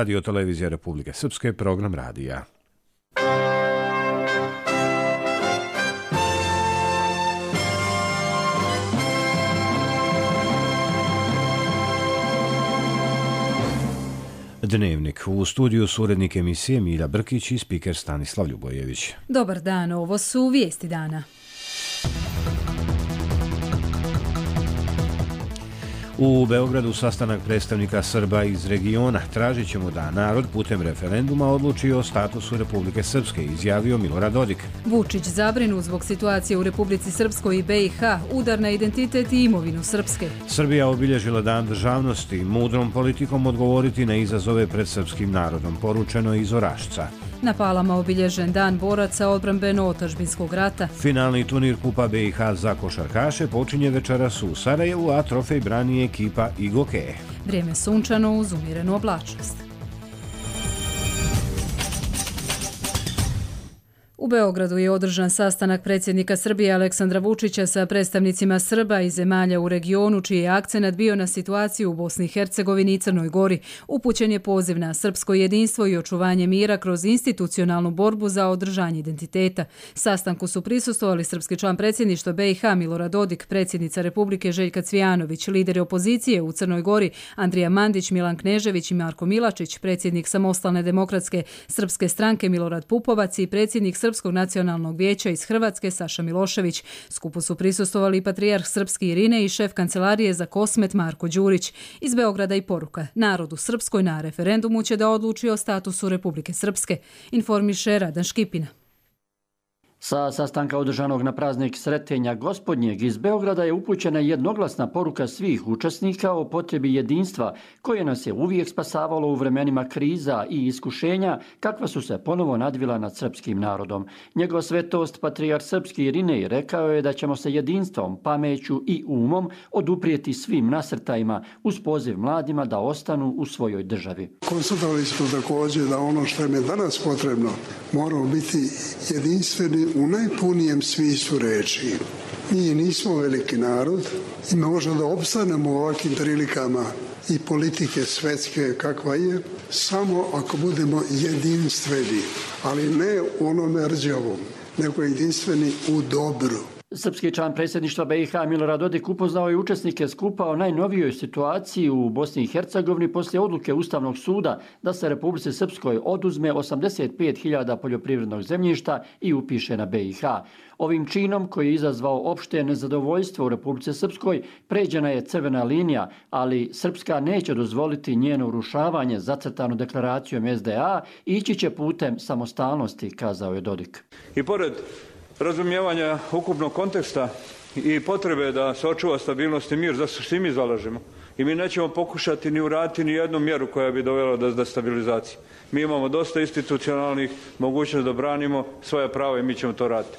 Radio Televizija Republike Srpske, program radija. Dnevnik. U studiju su urednik emisije Milja Brkić i spiker Stanislav Ljubojević. Dobar dan, ovo su vijesti dana. U Beogradu sastanak predstavnika Srba iz regiona. Tražit ćemo da narod putem referenduma odluči o statusu Republike Srpske, izjavio Milorad Dodik. Vučić zabrinut zbog situacije u Republici Srpskoj i BiH, udar na identitet i imovinu Srpske. Srbija obilježila dan državnosti, mudrom politikom odgovoriti na izazove pred srpskim narodom, poručeno iz Orašca. Na Palama obilježen dan boraca odbrambeno-otadžbinskog rata. Finalni turnir Kupa BiH za košarkaše počinje večeras u Sarajevu, a trofej brani ekipa Igoke. Vrijeme sunčano uz umjerenu oblačnost. U Beogradu je održan sastanak predsjednika Srbije Aleksandra Vučića sa predstavnicima Srba i zemalja u regionu, čiji je akcenat bio na situaciju u Bosni i Hercegovini i Crnoj Gori. Upućen je poziv na srpsko jedinstvo i očuvanje mira kroz institucionalnu borbu za održanje identiteta. Sastanku su prisustvovali srpski član predsjedništva BiH Milorad Dodik, predsjednica Republike Željka Cvijanović, lideri opozicije u Crnoj Gori Andrija Mandić, Milan Knežević i Marko Milačić, predsjednik Samostalne demokratske srpske stranke Milorad Pupovac i predsjednik Srpskog nacionalnog vijeća iz Hrvatske Saša Milošević. Skupu su prisustvovali patrijarh srpski Irine i šef kancelarije za Kosmet Marko Đurić. Iz Beograda i poruka: narod u Srpskoj na referendumu će da odluči o statusu Republike Srpske, informiše Radan Škipina. Sa sastanka održanog na praznik Sretenja Gospodnjeg iz Beograda je upućena jednoglasna poruka svih učesnika o potrebi jedinstva koje nas je uvijek spasavalo u vremenima kriza i iskušenja kakva su se ponovo nadvila nad srpskim narodom. Njegova svetost patrijarh srpski Irinej rekao je da ćemo se jedinstvom, pameću i umom oduprijeti svim nasrtajima uz poziv mladima da ostanu u svojoj državi. Konstatovali smo također da ono što je danas potrebno moramo biti jedinstveni u najpunijem smislu reči. Mi nismo veliki narod i možemo da opstanemo u ovakvim prilikama i politike svetske kakva je, samo ako budemo jedinstveni, ali ne u onome rđavom, nego jedinstveni u dobru. Srpski član predsjedništva BiH Milorad Dodik upoznao je učesnike skupa o najnovijoj situaciji u Bosni i Hercegovini poslije odluke Ustavnog suda da se Republici Srpskoj oduzme 85.000 poljoprivrednog zemljišta i upiše na BiH. Ovim činom, koji je izazvao opšte nezadovoljstvo u Republici Srpskoj, pređena je crvena linija, ali Srpska neće dozvoliti njeno urušavanje zacrtano deklaracijom SDA i ići će putem samostalnosti, kazao je Dodik. I pored razumijevanja ukupnog konteksta i potrebe da se očuva stabilnost i mir, za što svi mi zalažemo. I mi nećemo pokušati ni uraditi ni jednu mjeru koja bi dovela do destabilizacije. Mi imamo dosta institucionalnih mogućnosti da branimo svoje prava i mi ćemo to raditi.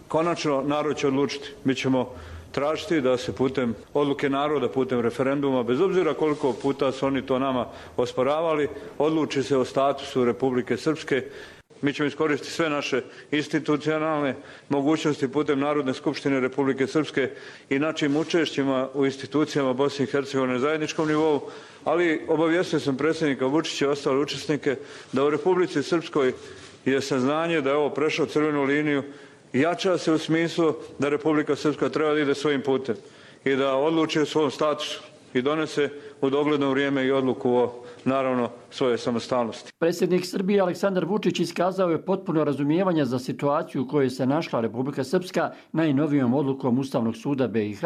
Konačno, narod će odlučiti. Mi ćemo tražiti da se putem odluke naroda, putem referenduma, bez obzira koliko puta su oni to nama osporavali, odluči se o statusu Republike Srpske. Mi ćemo iskoristiti sve naše institucionalne mogućnosti putem Narodne skupštine Republike Srpske i našim učešćima u institucijama Bosne i Hercegovine na zajedničkom nivou, ali obavijestio sam predsjednika Vučića i ostale učesnike da u Republici Srpskoj je saznanje da je ovo prešlo crvenu liniju i jača se u smislu da Republika Srpska treba da ide svojim putem i da odluči o svom statusu i donese u dogledno vrijeme i odluku o, naravno, svoje samostalnosti. Predsjednik Srbije Aleksandar Vučić iskazao je potpuno razumijevanje za situaciju u kojoj se našla Republika Srpska najnovijom odlukom Ustavnog suda BiH,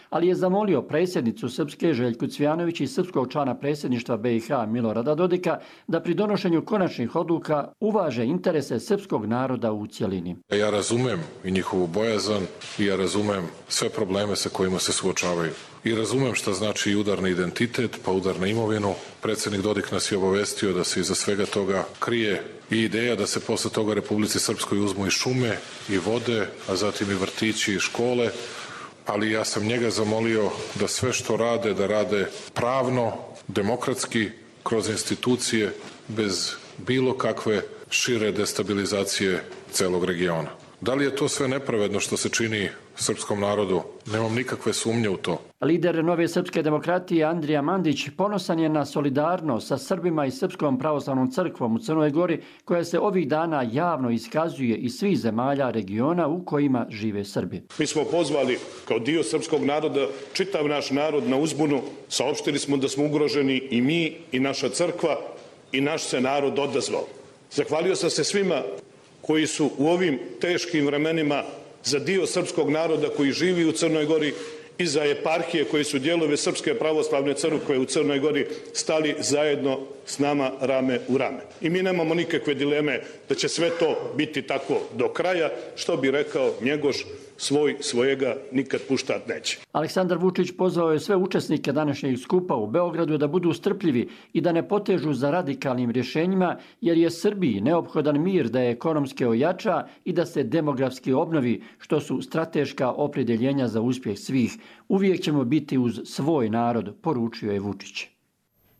ali je zamolio predsjednicu Srpske Željku Cvijanović i srpskog člana predsjedništva BiH Milorada Dodika da pri donošenju konačnih odluka uvaže interese srpskog naroda u cjelini. Ja razumem i njihovu bojazan i ja razumem sve probleme sa kojima se suočavaju. I razumem šta znači udar na identitet, pa udar na imovinu. Predsjednik Dodik nas je obavestio da se iza svega toga krije i ideja da se posle toga Republici Srpskoj uzmu i šume i vode, a zatim i vrtići i škole, ali ja sam njega zamolio da sve što rade, da rade pravno, demokratski, kroz institucije, bez bilo kakve šire destabilizacije celog regiona. Da li je to sve nepravedno što se čini srpskom narodu? Nemam nikakve sumnje u to. Lider Nove srpske demokratije Andrija Mandić ponosan je na solidarnost sa Srbima i Srpskom pravoslavnom crkvom u Crnoj Gori, koja se ovih dana javno iskazuje iz svih zemalja regiona u kojima žive Srbi. Mi smo pozvali kao dio srpskog naroda, čitav naš narod na uzbunu, saopštili smo da smo ugroženi i mi i naša crkva i naš se narod odazvao. Zahvalio sam se svima koji su u ovim teškim vremenima za dio srpskog naroda koji živi u Crnoj Gori i za eparhije koji su dijelove Srpske pravoslavne crkve u Crnoj Gori stali zajedno s nama rame u rame. I mi nemamo nikakve dileme da će sve to biti tako do kraja, što bi rekao Njegoš, svojega nikad puštat neće. Aleksandar Vučić pozvao je sve učesnike današnjeg skupa u Beogradu da budu strpljivi i da ne potežu za radikalnim rješenjima, jer je Srbiji neophodan mir da je ekonomski ojača i da se demografski obnovi, što su strateška opredjeljenja za uspjeh svih. Uvijek ćemo biti uz svoj narod, poručio je Vučić.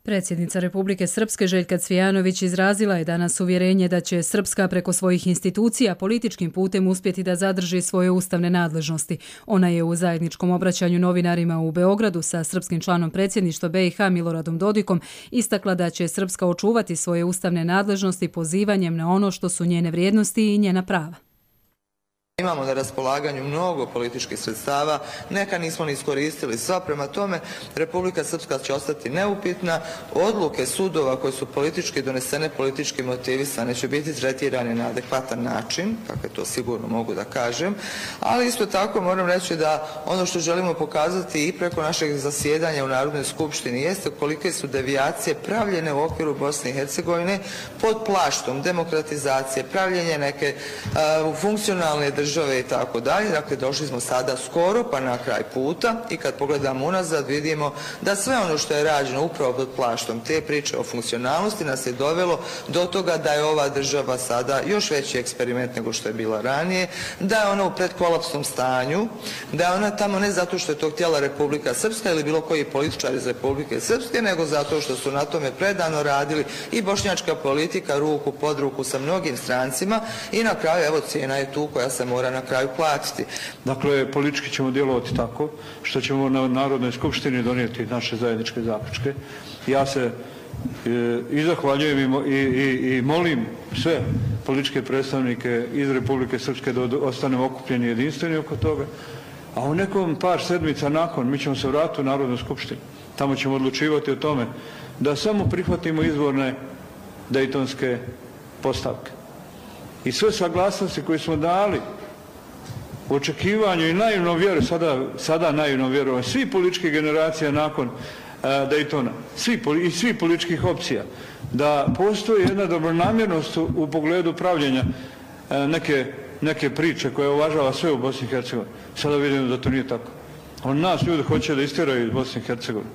Predsjednica Republike Srpske Željka Cvijanović izrazila je danas uvjerenje da će Srpska preko svojih institucija političkim putem uspjeti da zadrži svoje ustavne nadležnosti. Ona je u zajedničkom obraćanju novinarima u Beogradu sa srpskim članom predsjedništva BiH Miloradom Dodikom istakla da će Srpska očuvati svoje ustavne nadležnosti pozivanjem na ono što su njene vrijednosti i njena prava. Imamo na raspolaganju mnogo političkih sredstava, neka nismo ni iskoristili sva, prema tome Republika Srpska će ostati neupitna, odluke sudova koje su politički donesene, politički motivisane će biti tretirane na adekvatan način, kako to sigurno mogu da kažem, ali isto tako moram reći da ono što želimo pokazati i preko našeg zasjedanja u Narodnoj skupštini jeste kolike su devijacije pravljene u okviru Bosne i Hercegovine pod plaštom demokratizacije, pravljenje neke funkcionalne države i tako dalje. Dakle, došli smo sada skoro pa na kraj puta i kad pogledamo unazad vidimo da sve ono što je rađeno upravo pod plaštom te priče o funkcionalnosti nas je dovelo do toga da je ova država sada još veći eksperiment nego što je bila ranije, da je ona u predkolapsnom stanju, da je ona tamo ne zato što je to htjela Republika Srpska ili bilo koji političar iz Republike Srpske, nego zato što su na tome predano radili i bošnjačka politika ruku pod ruku sa mnogim strancima i na kraju evo cijena je tu koja se mora na kraju platiti. Dakle, politički ćemo djelovati tako što ćemo na Narodnoj skupštini donijeti naše zajedničke zaključke. Ja se i zahvaljujem i molim sve političke predstavnike iz Republike Srpske da ostanemo okupljeni i jedinstveni oko toga, a u nekom par sedmica nakon mi ćemo se vratiti u Narodnu skupštinu. Tamo ćemo odlučivati o tome da samo prihvatimo izvorne dejtonske postavke. I sve saglasnosti koje smo dali u očekivanju i naivno vjeru, sada naivno vjeru, svi političkih generacija nakon Daytona, svih političkih opcija, da postoji jedna dobronamjernost u pogledu pravljenja neke priče koje uvažava sve u Bosni i Hercegovini. Sada vidimo da to nije tako. Nas ljudi hoće da istjeraju iz Bosne i Hercegovine.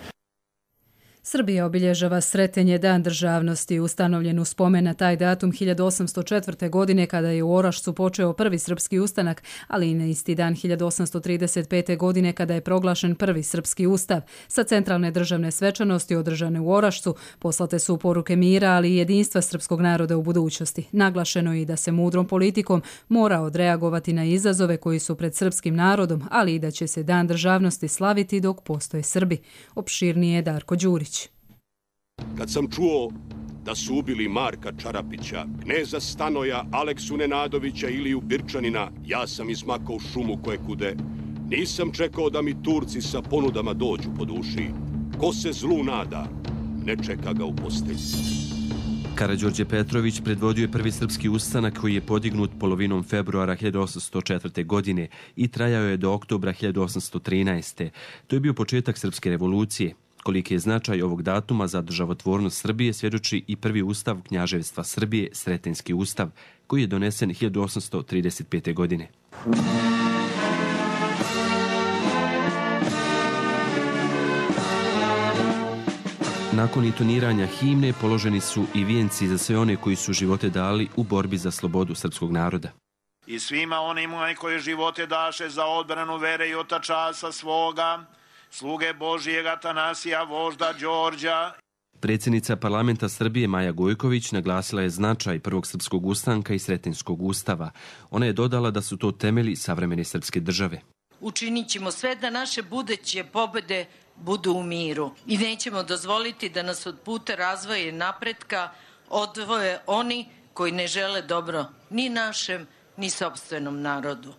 Srbija obilježava Sretenje dan državnosti, ustanovljen u spomen na taj datum 1804. godine kada je u Orašcu počeo prvi srpski ustanak, ali i na isti dan 1835. godine kada je proglašen prvi srpski ustav. Sa centralne državne svečanosti održane u Orašcu poslate su poruke mira, ali i jedinstva srpskog naroda u budućnosti. Naglašeno je i da se mudrom politikom mora odreagovati na izazove koji su pred srpskim narodom, ali i da će se dan državnosti slaviti dok postoje Srbi. Opširnije Darko Đurić. Kad sam čuo da su ubili Marka Čarapića, kneza Stanoja, Aleksu Nenadovića ili Birčanina, ja sam izmakao šumu koje kude. Nisam čekao da mi Turci sa ponudama dođu po duši. Ko se zlu nada, ne čeka ga u postelji. Karađorđe Petrović predvodio je prvi srpski ustanak koji je podignut polovinom februara 1804. godine i trajao je do oktobra 1813. To je bio početak srpske revolucije. Koliki je značaj ovog datuma za državotvornost Srbije svjedoči i prvi ustav Knjaževstva Srbije, Sretenjski ustav, koji je donesen 1835. godine. Nakon intoniranja himne položeni su i vijenci za sve one koji su živote dali u borbi za slobodu srpskog naroda. I svima onima koji živote daše za odbranu vere i otačasa svoga, sluge Božijeg Atanasija, vožda Đorđa. Predsjednica parlamenta Srbije Maja Gojković naglasila je značaj prvog srpskog ustanka i Sretenjskog ustava. Ona je dodala da su to temelji savremene srpske države. Učinit ćemo sve da naše buduće pobjede budu u miru i nećemo dozvoliti da nas od puta razvoja i napretka odvoje oni koji ne žele dobro ni našem, ni sopstvenom narodu.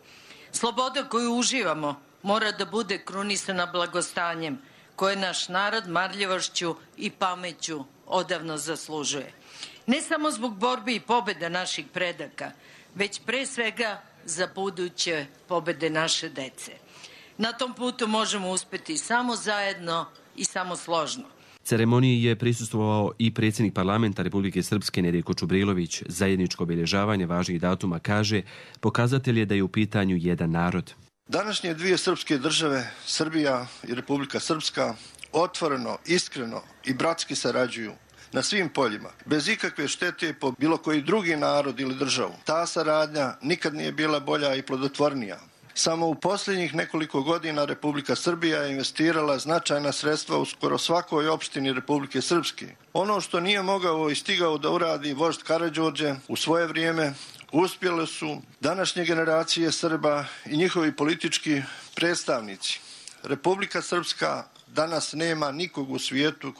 Sloboda koju uživamo mora da bude krunisana blagostanjem koje naš narod marljivošću i pameću odavno zaslužuje. Ne samo zbog borbi i pobjeda naših predaka, već pre svega za buduće pobjede naše dece. Na tom putu možemo uspjeti samo zajedno i samo složno. Ceremoniji je prisustvovao i predsjednik parlamenta Republike Srpske Nedeljko Čubrilović. Zajedničko obilježavanje važnih datuma, kaže, pokazatelj je da je u pitanju jedan narod. Današnje dvije srpske države, Srbija i Republika Srpska, otvoreno, iskreno i bratski sarađuju na svim poljima, bez ikakve štete po bilo koji drugi narod ili državu. Ta saradnja nikad nije bila bolja i plodotvornija. Samo u posljednjih nekoliko godina Republika Srbija je investirala značajna sredstva u skoro svakoj opštini Republike Srpske. Ono što nije mogao i stigao da uradi vožd Karađorđe u svoje vrijeme, uspjele su današnje generacije Srba i njihovi politički predstavnici. Republika Srpska danas nema nikog u svijetu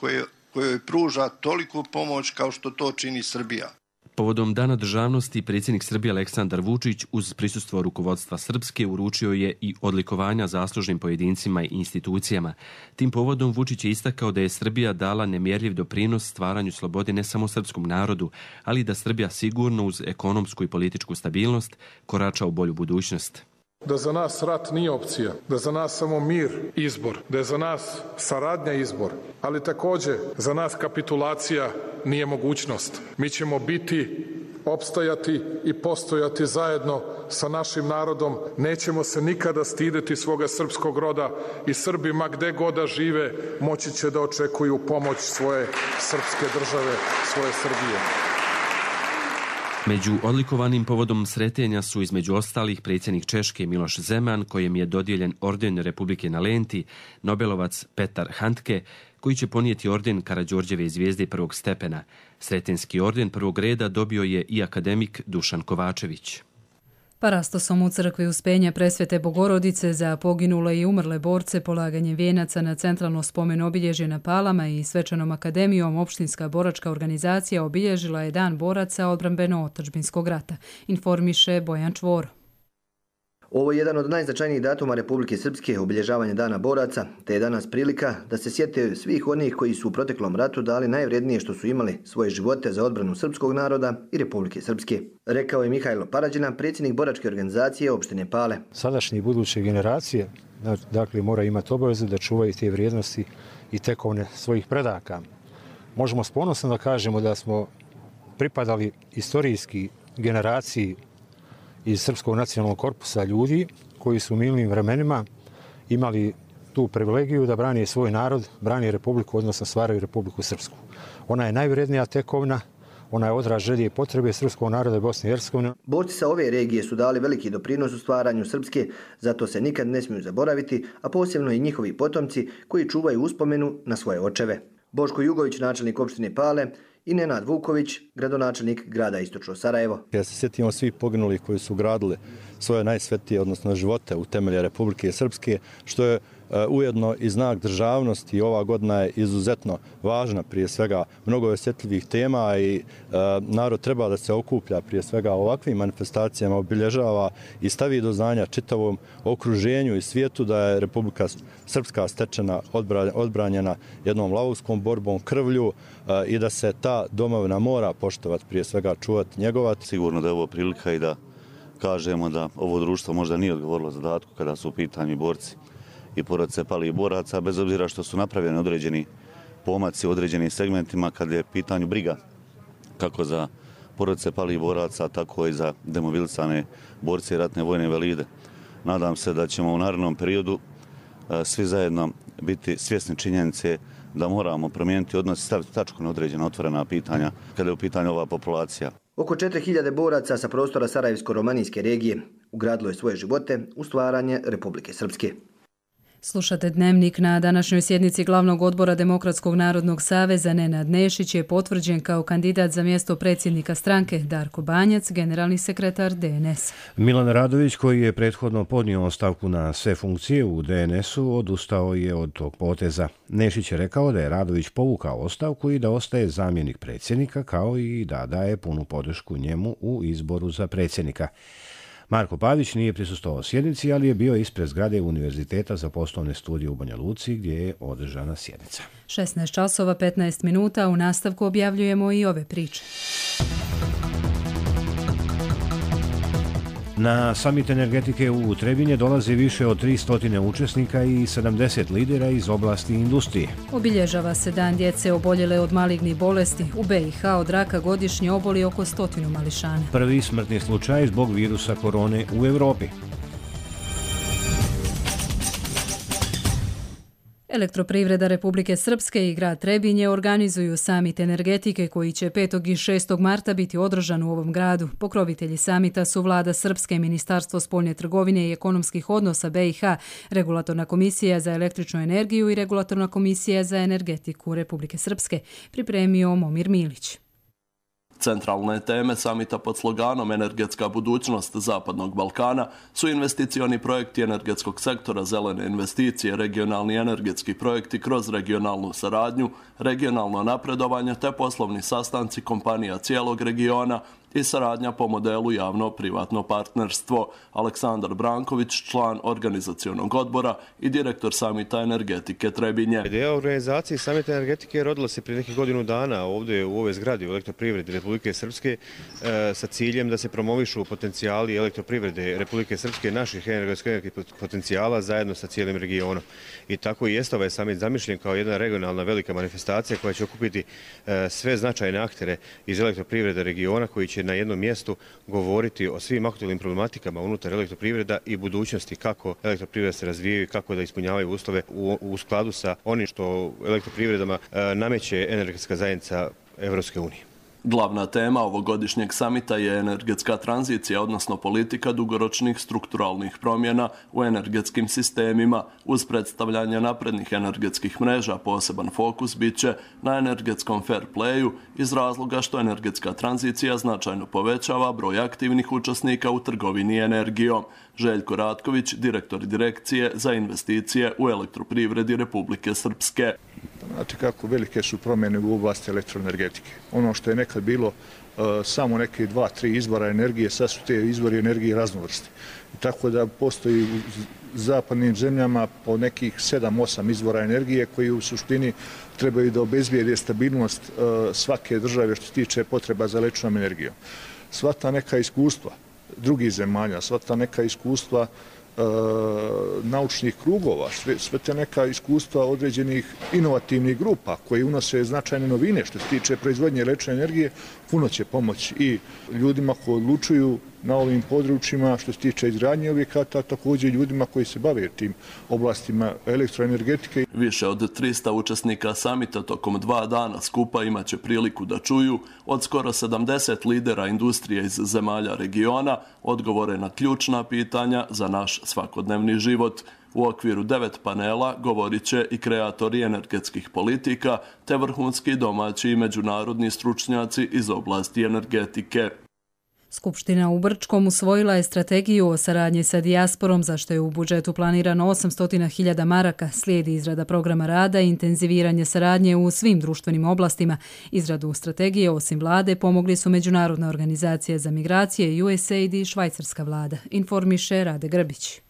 kojoj pruža toliku pomoć kao što to čini Srbija. Povodom Dana državnosti predsjednik Srbije Aleksandar Vučić uz prisustvo rukovodstva Srpske uručio je i odlikovanja zaslužnim pojedincima i institucijama. Tim povodom Vučić je istakao da je Srbija dala nemjerljiv doprinos stvaranju slobode ne samo srpskom narodu, ali da Srbija sigurno uz ekonomsku i političku stabilnost korača u bolju budućnost. Da za nas rat nije opcija, da za nas samo mir izbor, da je za nas saradnja izbor, ali također za nas kapitulacija nije mogućnost. Mi ćemo biti, opstajati i postojati zajedno sa našim narodom. Nećemo se nikada stideti svoga srpskog roda i Srbi, ma gde god da žive, moći će da očekuju pomoć svoje srpske države, svoje Srbije. Među odlikovanim povodom sretenja su između ostalih predsjednik Češke Miloš Zeman, kojem je dodijeljen orden Republike na lenti, Nobelovac Petar Handke, koji će ponijeti orden Karađorđeve zvijezde prvog stepena. Sretenski orden prvog reda dobio je i akademik Dušan Kovačević. Parastosom u crkvi Uspenja Presvete Bogorodice za poginule i umrle borce, polaganjem vijenaca na centralno spomen obilježje na Palama i svečanom akademijom Opštinska boračka organizacija obilježila je Dan boraca odbrambeno-otadžbinskog rata, informiše Bojan Čvor. Ovo je jedan od najznačajnijih datuma Republike Srpske, obilježavanje Dana boraca, te je danas prilika da se sjete svih onih koji su u proteklom ratu dali najvrednije što su imali, svoje živote za odbranu srpskog naroda i Republike Srpske. Rekao je Mihajlo Parađina, predsjednik boračke organizacije opštine Pale. Sadašnje i buduće generacije dakle, moraju imati obavezu da čuvaju te vrijednosti i tekovne svojih predaka. Možemo s ponosom da kažemo da smo pripadali istorijski generaciji iz Srpskog nacionalnog korpusa ljudi koji su u mirnim vremenima imali tu privilegiju da brani svoj narod, brani Republiku, odnosno stvaraju Republiku Srpsku. Ona je najvrednija tekovina, ona je odraz želje i potrebe srpskog naroda Bosne i Hercegovine. Borci sa ove regije su dali veliki doprinos u stvaranju Srpske, zato se nikad ne smiju zaboraviti, a posebno i njihovi potomci koji čuvaju uspomenu na svoje očeve. Boško Jugović, načelnik opštine Pale, i Nenad Vuković, gradonačelnik grada Istočno Sarajevo. Ja se sjetimo svih poginulih koji su gradili svoje najsvetije, odnosno živote u temelje Republike Srpske, što je ujedno i znak državnosti. Ova godina je izuzetno važna, prije svega mnogo osjetljivih tema i narod treba da se okuplja prije svega ovakvim manifestacijama, obilježava i stavi do znanja čitavom okruženju i svijetu da je Republika Srpska stečena, odbranjena jednom lavovskom borbom, krvlju i da se ta domovina mora poštovati, prije svega čuvati, njegovati. Sigurno da je ovo prilika i da kažemo da ovo društvo možda nije odgovorilo zadatku kada su u pitanju borci i porodice palih boraca, bez obzira što su napravljeni određeni pomaci u određenim segmentima kada je pitanju briga kako za porodice palih boraca, tako i za demobilisane borce i ratne vojne invalide. Nadam se da ćemo u narednom periodu svi zajedno biti svjesni činjenice da moramo promijeniti odnos i staviti tačku na određena otvorena pitanja kada je u pitanju ova populacija. Oko 4000 boraca sa prostora Sarajevsko-romanijske regije ugradilo je svoje živote u stvaranje Republike Srpske. Slušate Dnevnik. Na današnjoj sjednici glavnog odbora Demokratskog narodnog saveza Nenad Nešić je potvrđen kao kandidat za mjesto predsjednika stranke, Darko Banjac, generalni sekretar DNS. Milan Radović, koji je prethodno podnio ostavku na sve funkcije u DNS-u, odustao je od tog poteza. Nešić je rekao da je Radović povukao ostavku i da ostaje zamjenik predsjednika, kao i da daje punu podršku njemu u izboru za predsjednika. Marko Pavić nije prisustvovao sjednici, ali je bio ispred zgrade Univerziteta za poslovne studije u Banja Luci, gdje je održana sjednica. 16 časova 15 minuta, u nastavku objavljujemo i ove priče. Na samit energetike u Trebinje dolazi više od 300 učesnika i 70 lidera iz oblasti industrije. Obilježava se dan djece oboljele od malignih bolesti. U BiH od raka godišnje oboli oko 100 mališana. Prvi smrtni slučaj zbog virusa korone u Evropi. Elektroprivreda Republike Srpske i grad Trebinje organizuju samit energetike koji će 5. i 6. marta biti održan u ovom gradu. Pokrovitelji samita su Vlada Srpske, Ministarstvo spoljne trgovine i ekonomskih odnosa BiH, Regulatorna komisija za električnu energiju i Regulatorna komisija za energetiku Republike Srpske, pripremio Momir Milić. Centralne teme samita pod sloganom Energetska budućnost Zapadnog Balkana su investicioni projekti energetskog sektora, zelene investicije, regionalni energetski projekti kroz regionalnu saradnju, regionalno napredovanje te poslovni sastanci kompanija cijelog regiona i saradnja po modelu javno-privatno partnerstvo. Aleksandar Branković, član organizacionog odbora i direktor samita energetike Trebinje. Ideja o organizaciji samita energetike rodila se prije nekih godinu dana ovdje u ovoj zgradi u Elektroprivredi Republike Srpske sa ciljem da se promovišu potencijali elektroprivrede Republike Srpske, naših energetskih potencijala zajedno sa cijelim regionom. I tako i jeste ovaj samit zamišljen kao jedna regionalna velika manifestacija koja će okupiti sve značajne aktere iz elektroprivrede regiona koji će na jednom mjestu govoriti o svim aktualnim problematikama unutar elektroprivreda i budućnosti, kako elektroprivreda se razvijaju i kako da ispunjavaju uslove u skladu sa onim što elektroprivredama nameće energetska zajednica Evropske unije. Glavna tema ovogodišnjeg samita je energetska tranzicija, odnosno politika dugoročnih strukturalnih promjena u energetskim sistemima. Uz predstavljanje naprednih energetskih mreža poseban fokus bit će na energetskom fair playu iz razloga što energetska tranzicija značajno povećava broj aktivnih učesnika u trgovini energijom. Željko Ratković, direktor direkcije za investicije u elektroprivredi Republike Srpske. Znate kako velike su promjene u oblasti elektroenergetike. Ono što je nekad bilo samo neke 2-3 izvora energije, sad su te izvori energije raznovrsti. Tako da postoji u zapadnim zemljama po nekih 7-8 izvora energije koji u suštini trebaju da obezbijede stabilnost svake države što se tiče potreba za električnom energijom. Sva ta neka iskustva drugih zemalja, sva ta neka iskustva naučnih krugova, sve te neka iskustva određenih inovativnih grupa koji unose značajne novine što se tiče proizvodnje električne energije, puno će pomoći i ljudima koji odlučuju na ovim područjima što se tiče izgradnje objekata, također ljudima koji se bave tim oblastima elektroenergetike. Više od 300 učesnika samita tokom 2 dana skupa imaće priliku da čuju od skoro 70 lidera industrije iz zemalja regiona odgovore na ključna pitanja za naš svakodnevni život. U okviru 9 panela govorit će i kreatori energetskih politika te vrhunski domaći i međunarodni stručnjaci iz oblasti energetike. Skupština u Brčkom usvojila je strategiju o saradnji sa dijasporom, za što je u budžetu planirano 800.000 maraka. Slijedi izrada programa rada i intenziviranje saradnje u svim društvenim oblastima. Izradu strategije, osim vlade, pomogli su Međunarodna organizacija za migracije, USAID i švajcarska vlada. Informiše Rade Grbić.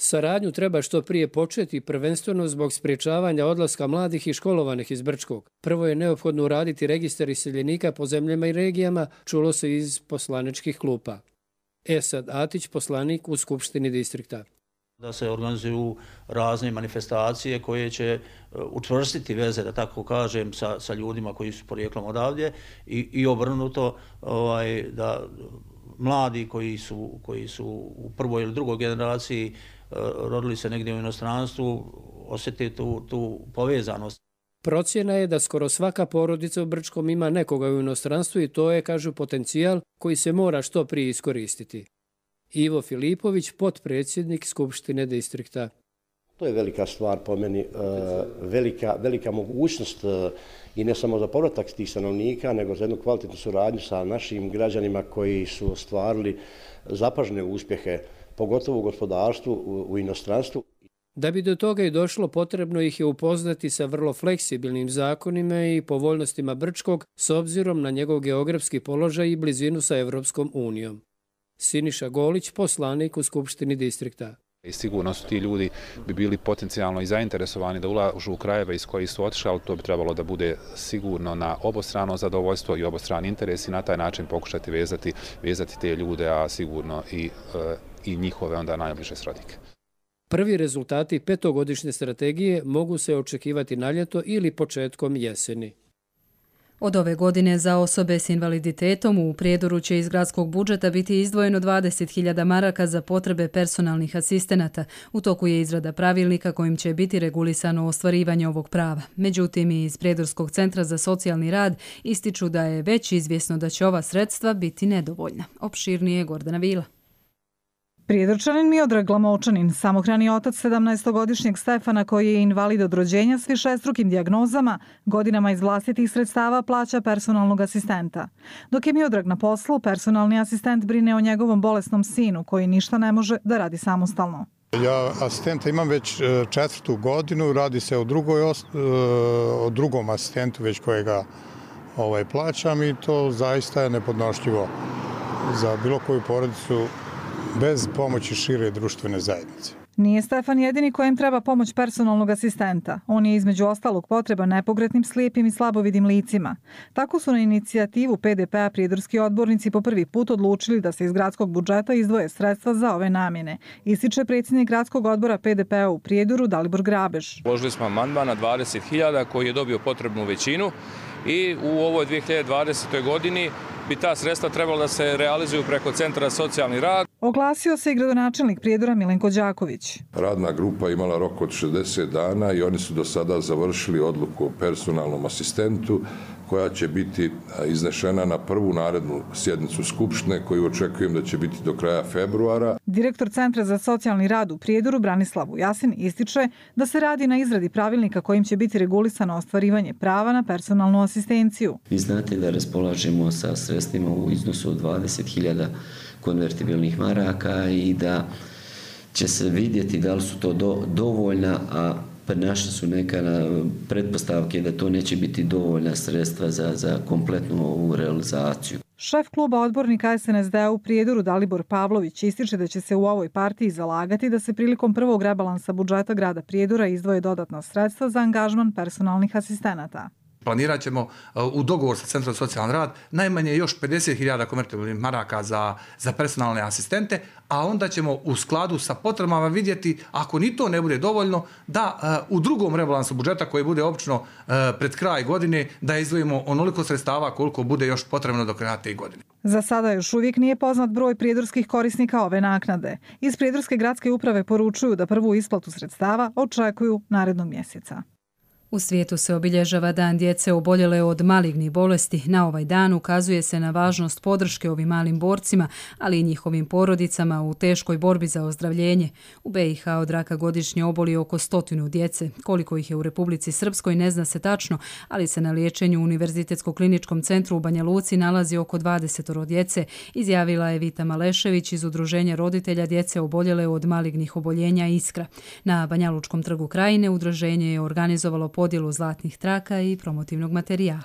Saradnju treba što prije početi, prvenstveno zbog spriječavanja odlaska mladih i školovanih iz Brčkog. Prvo je neophodno uraditi registar iseljenika po zemljama i regijama, čulo se iz poslaničkih klupa. Esad Atić, poslanik u Skupštini distrikta. Da se organizuju razne manifestacije koje će učvrstiti veze, da tako kažem, sa ljudima koji su porijeklom odavdje i obrnuto da mladi koji su u prvoj ili drugoj generaciji rodili se negdje u inostranstvu, osjeti tu povezanost. Procjena je da skoro svaka porodica u Brčkom ima nekoga u inostranstvu i to je, kažu, potencijal koji se mora što prije iskoristiti. Ivo Filipović, potpredsjednik Skupštine distrikta. To je velika stvar po meni, velika mogućnost i ne samo za povratak tih stanovnika, nego za jednu kvalitetnu suradnju sa našim građanima koji su ostvarili zapažene uspjehe, pogotovo u gospodarstvu, u inostranstvu. Da bi do toga i došlo, potrebno ih je upoznati sa vrlo fleksibilnim zakonima i povoljnostima Brčkog s obzirom na njegov geografski položaj i blizinu sa Evropskom unijom. Siniša Golić, poslanik u Skupštini distrikta. I sigurno su ti ljudi bi bili potencijalno i zainteresovani da ulažu u krajeve iz kojih su otišli, ali to bi trebalo da bude sigurno na obostrano zadovoljstvo i obostrani interes i na taj način pokušati vezati te ljude, a sigurno i njihove onda najbliže srodnike. Prvi rezultati petogodišnje strategije mogu se očekivati na ljeto ili početkom jeseni. Od ove godine za osobe s invaliditetom u Prijedoru će iz gradskog budžeta biti izdvojeno 20.000 maraka za potrebe personalnih asistenata. U toku je izrada pravilnika kojim će biti regulisano ostvarivanje ovog prava. Međutim, iz Prijedorskog centra za socijalni rad ističu da je već izvjesno da će ova sredstva biti nedovoljna. Opširnije Gordana Vila. Prijedorčanin Miodrag Glamočanin, samohrani otac 17-godišnjeg Stefana koji je invalid od rođenja s višestrukim dijagnozama, godinama iz vlastitih sredstava plaća personalnog asistenta. Dok je Miodrag na poslu, personalni asistent brine o njegovom bolesnom sinu koji ništa ne može da radi samostalno. Ja asistenta imam već 4. godinu, radi se o drugom asistentu već kojega plaćam i to zaista je nepodnošljivo za bilo koju porodicu bez pomoći šire društvene zajednice. Nije Stefan jedini kojem treba pomoć personalnog asistenta. On je između ostalog potreban nepokretnim, slijepim i slabovidim licima. Tako su na inicijativu PDP-a prijedorski odbornici po prvi put odlučili da se iz gradskog budžeta izdvoje sredstva za ove namjene. Ističe predsjednik gradskog odbora PDP-a u Prijedoru Dalibor Grabež. Uložili smo amandman na 20.000 koji je dobio potrebnu većinu i u ovoj 2020. godini bi ta sredstva trebala da se realizuju preko Centra za socijalni rad. Oglasio se i gradonačelnik Prijedora Milenko Đaković. Radna grupa imala rok od 60 dana i oni su do sada završili odluku o personalnom asistentu koja će biti iznešena na prvu narednu sjednicu Skupštine koju očekujem da će biti do kraja februara. Direktor Centra za socijalni rad u Prijedoru Branislav Vujasin ističe da se radi na izradi pravilnika kojim će biti regulisano ostvarivanje prava na personalnu asistenciju. Vi znate da raspolažemo sa sredstvima u iznosu od 20.000 konvertibilnih maraka i da će se vidjeti da li su to dovoljna, a naše su neka pretpostavke da to neće biti dovoljna sredstva za kompletnu ovu realizaciju. Šef kluba odbornika SNSD-a u Prijedoru Dalibor Pavlović ističe da će se u ovoj partiji zalagati da se prilikom prvog rebalansa budžeta grada Prijedora izdvoje dodatna sredstva za angažman personalnih asistenata. Planirat ćemo u dogovor sa Centrom za socijalni rad najmanje još 50.000 konvertibilnih maraka za personalne asistente, a onda ćemo u skladu sa potrebama vidjeti, ako ni to ne bude dovoljno, da u drugom rebalansu budžeta koji bude obično pred kraj godine, da izdvojimo onoliko sredstava koliko bude još potrebno do kraja te godine. Za sada još uvijek nije poznat broj prijedorskih korisnika ove naknade. Iz Prijedorske gradske uprave poručuju da prvu isplatu sredstava očekuju narednog mjeseca. U svijetu se obilježava Dan djece oboljele od malignih bolesti. Na ovaj dan ukazuje se na važnost podrške ovim malim borcima, ali i njihovim porodicama u teškoj borbi za ozdravljenje. U BiH od raka godišnje oboli oko 100 djece. Koliko ih je u Republici Srpskoj ne zna se tačno, ali se na liječenju u Univerzitetskom kliničkom centru u Banja Luci nalazi oko 20 djece, izjavila je Vita Malešević iz Udruženja roditelja djece oboljele od malignih oboljenja Iskra. Na Banjalučkom trgu Krajine udruženje je organizovalo podjelu zlatnih traka i promotivnog materijala.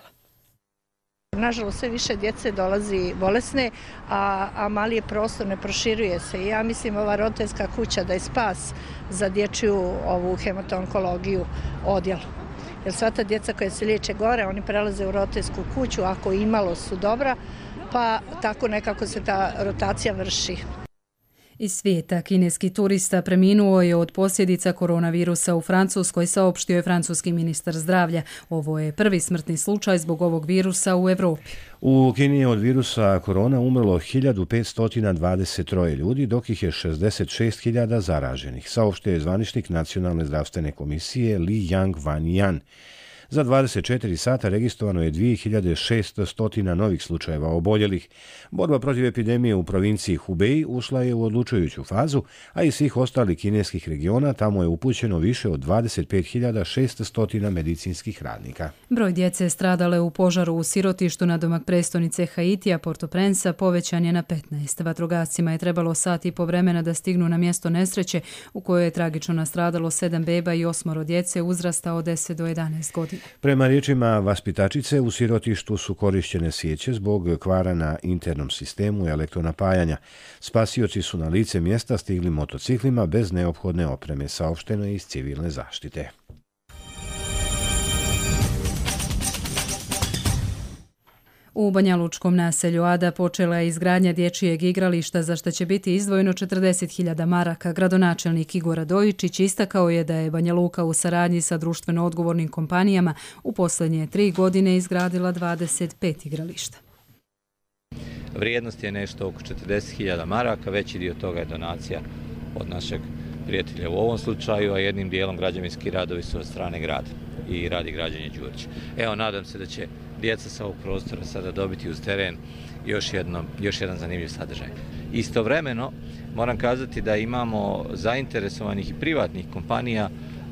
Nažalost, sve više djece dolazi bolesne, a mali je prostor, ne proširuje se. Ja mislim ova roditeljska kuća da je spas za dječju ovu hematonkologiju odjel. Jer sva ta djeca koja se liječe gore, oni prelaze u roditeljsku kuću, ako imalo su dobra, pa tako nekako se ta rotacija vrši. Iz svijeta kineski turista preminuo je od posljedica koronavirusa u Francuskoj, saopštio je francuski ministar zdravlja. Ovo je prvi smrtni slučaj zbog ovog virusa u Evropi. U Kini je od virusa korona umrlo 1523 ljudi, dok ih je 66.000 zaraženih, saopštio je zvaničnik Nacionalne zdravstvene komisije Li Yang Wanyan. Za 24 sata registrovano je 2600 novih slučajeva oboljelih. Borba protiv epidemije u provinciji Hubei ušla je u odlučujuću fazu, a iz svih ostalih kineskih regiona tamo je upućeno više od 25.600 medicinskih radnika. Broj djece stradale u požaru u sirotištu nadomak prestonice Haitija, Port-au-Prince, povećan je na 15. Vatrogascima je trebalo sat i po vremena da stignu na mjesto nesreće u kojoj je tragično nastradalo 7 beba i 8 djece uzrasta od 10 do 11 godina. Prema riječima vaspitačice, u sirotištu su korišćene svijeće zbog kvara na internom sistemu elektronapajanja. Spasioci su na lice mjesta stigli motociklima bez neophodne opreme, saopšteno je iz civilne zaštite. U banjalučkom naselju Ada počela je izgradnja dječjeg igrališta za što će biti izdvojeno 40.000 maraka. Gradonačelnik Igor Radojičić istakao je da je Banja Luka u saradnji sa društveno odgovornim kompanijama u posljednje 3 godine izgradila 25 igrališta. Vrijednost je nešto oko 40.000 maraka, veći dio toga je donacija od našeg prijatelja u ovom slučaju, a jednim dijelom građevinski radovi su od strane grada i radi građenje Đurić. Evo, nadam se da će djeca sa ovog prostora sada dobiti uz teren još jedan zanimljiv sadržaj. Istovremeno, moram kazati da imamo zainteresovanih i privatnih kompanija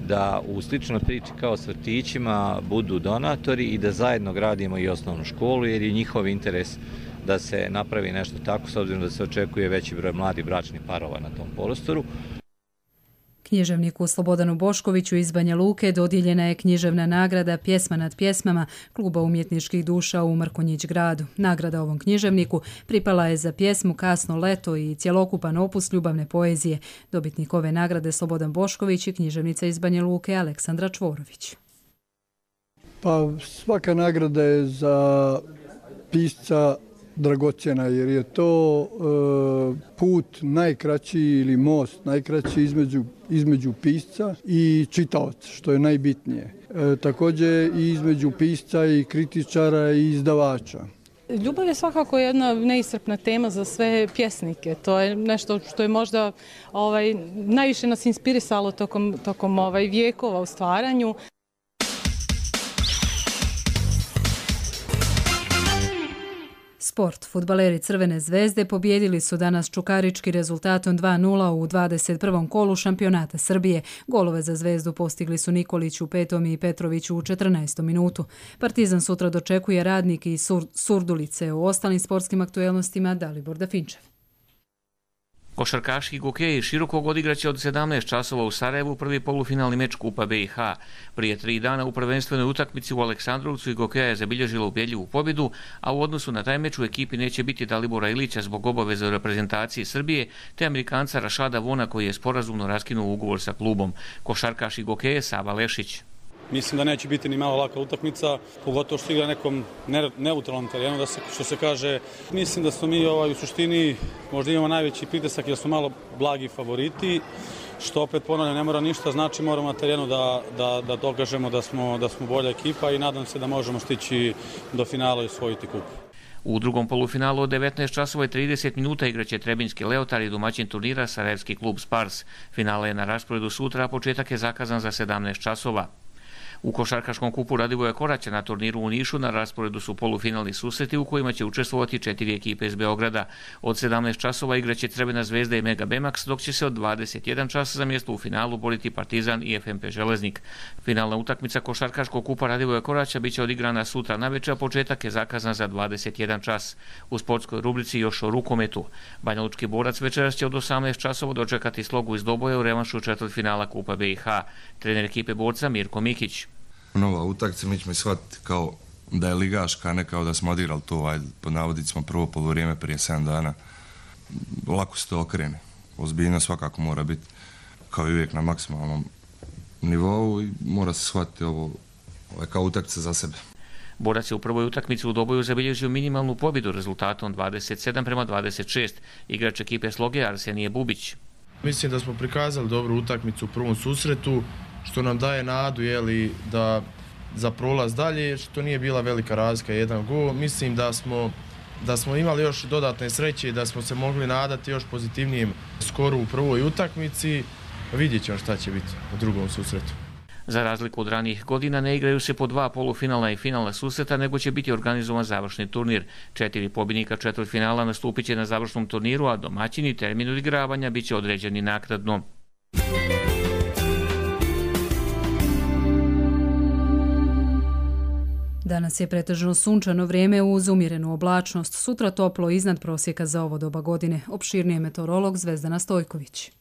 da u sličnoj priči kao s vrtićima budu donatori i da zajedno gradimo i osnovnu školu, jer je njihov interes da se napravi nešto tako, s obzirom da se očekuje veći broj mladih bračnih parova na tom prostoru. Književniku Slobodanu Boškoviću iz Banja Luke dodijeljena je književna nagrada Pjesma nad pjesmama Kluba umjetničkih duša u Mrkonjić gradu. Nagrada ovom književniku pripala je za pjesmu Kasno leto i cjelokupan opus ljubavne poezije. Dobitnik ove nagrade Slobodan Bošković i književnica iz Banja Luke Aleksandra Čvorović. Pa svaka nagrada je za pisca dragocjena, jer je to put najkraći ili most najkraći između pisca i čitaoca, što je najbitnije. Također i između pisca i kritičara i izdavača. Ljubav je svakako jedna neiscrpna tema za sve pjesnike. To je nešto što je možda najviše nas inspirisalo tokom vijekova u stvaranju. Sport. Fudbaleri Crvene zvezde pobijedili su danas Čukarički rezultatom 2:0 u 21. kolu šampionata Srbije. Golove za Zvezdu postigli su Nikolić u 5. i Petrović u 14. minutu. Partizan sutra dočekuje Radnik i Surdulice. U ostalim sportskim aktuelnostima Dalibor Dafinčev. Košarkaški gokeji Širokog odigraće od 17 časova u Sarajevu prvi polufinalni meč Kupa BiH. Prije 3 dana u prvenstvenoj utakmici u Aleksandrovcu i Gokeja je zabilježila ubjedljivu pobjedu, a u odnosu na taj meč u ekipi neće biti Dalibora Ilića zbog obaveze u reprezentaciji Srbije, te Amerikanca Rašada Vona koji je sporazumno raskinuo ugovor sa klubom. Košarkaš i Gokeje Sava Lešić. Mislim da neće biti ni malo laka utakmica, pogotovo što igra nekom neutralnom terenu, što se kaže. Mislim da smo mi u suštini možda imamo najveći pritisak jer smo malo blagi favoriti, što opet ponavljam ne mora ništa, znači moramo na terenu da dokažemo da smo bolja ekipa i nadam se da možemo stići do finala i osvojiti kup. U drugom polufinalu od 19 časova i 30 minuta igraće Trebinjski Leotar i domaćin turnira Sarajevski klub Spars. Finale je na rasporedu sutra, a početak je zakazan za 17 časova. U košarkaškom kupu Radivoja Koraća na turniru u Nišu na rasporedu su polufinalni susreti u kojima će učestvovati 4 ekipe iz Beograda. Od 17 časova igraće Crvena zvezda i Mega Bemax, dok će se od 21 časa za mjesto u finalu boriti Partizan i FMP Železnik. Finalna utakmica košarkaškog kupa Radivoja Koraća biće odigrana sutra navečer, a početak je zakazan za 21 čas. U sportskoj rubrici još o rukometu. Banjalučki Borac večeras će od 18 časova dočekati Slogu iz Doboja u revanšu četvrtfinala Kupa BiH. Trener ekipe Borca Mirko Mikić. Nova utakmica, mi ćemo shvatiti kao da je ligaška, a ne kao da smo odigrali to, pod navodicima prvo poluvrijeme prije 7 dana. Lako se to okrene. Ozbiljno svakako mora biti kao i uvijek na maksimalnom nivou i mora se shvatiti ovo kao utakmica za sebe. Borac je u prvoj utakmici u Doboju zabilježio minimalnu pobjedu rezultatom 27-26. Igrač ekipe Sloge Arsenije Bubić. Mislim da smo prikazali dobru utakmicu u prvom susretu, što nam daje nadu da za prolaz dalje, što nije bila velika razlika, 1 gol. Mislim da smo imali još dodatne sreće i da smo se mogli nadati još pozitivnijem skoru u prvoj utakmici. Vidjet ćemo šta će biti u drugom susretu. Za razliku od ranijih godina ne igraju se po 2 polufinalna i finalna susreta, nego će biti organizovan završni turnir. 4 pobjednika četvrtfinala nastupit će na završnom turniru, a domaćini termin odigravanja bit će određeni naknadno. Danas je pretežno sunčano vrijeme uz umjerenu oblačnost. Sutra toplo iznad prosjeka za ovo doba godine. Opširnije meteorolog Zvezdana Stojković.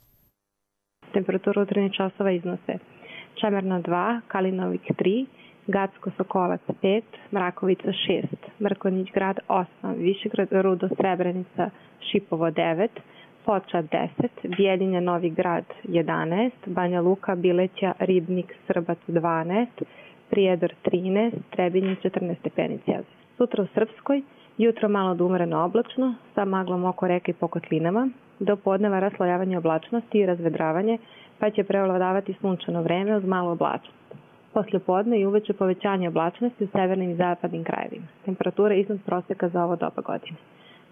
Temperatura u 13 časova iznose Čemerna 2, Kalinovik 3, Gacko Sokolac 5, Mrakovica 6, Mrkonjić grad 8, Višegrad Rudo Srebrenica Šipovo 9, Foča 10, Bijeljinja Novi grad 11, Banja Luka Bileća Ribnik Srbac 12, Prijedor 13, Trebinje 14 stepeni Celzijus. Sutra u Srpskoj jutro malo do umjereno oblačno sa maglom oko reke i pokotlinama, do podneva raslojavanje oblačnosti i razvedravanje, pa će prevladavati sunčano vreme uz malo oblačnost. Poslije podne i uveče povećanje oblačnosti u severnim i zapadnim krajevima. Temperatura iznad prosjeka za ovo doba godine.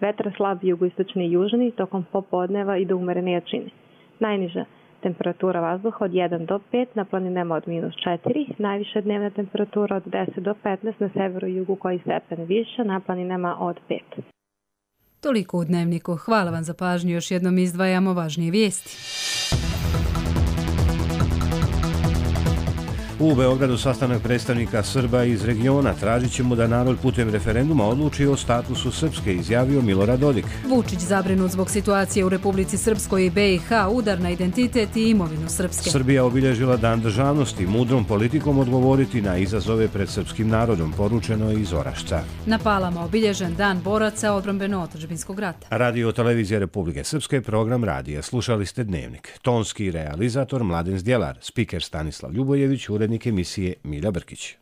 Vetar slab jugoistočni i južni tokom popodneva i do umjerene jačine. Najniža temperatura vazduha od 1 do 5, na planinama od -4, najviša dnevna temperatura od 10 do 15, na severu i jugu koji stepen više, na planinama od 5. Toliko u Dnevniku. Hvala vam za pažnju. Još jednom izdvajamo važnije vijesti. U Beogradu sastanak predstavnika Srba iz regiona. Tražit ćemo da narod putem referenduma odluči o statusu Srpske, izjavio Milorad Dodik. Vučić zabrinut zbog situacije u Republici Srpskoj i BiH, udar na identitet i imovinu Srpske. Srbija obilježila Dan državnosti, mudrom politikom odgovoriti na izazove pred srpskim narodom, poručeno iz Orašca. Na Palama obilježen Dan boraca odbrambeno-otadžbinskog rata. Radio Televizija Republike Srpske, program radija. Slušali ste Dnevnik. Tonski realizator Mladen Zdjelar, spiker Stanislav Ljubojević, urednik emisije Milja Brkić.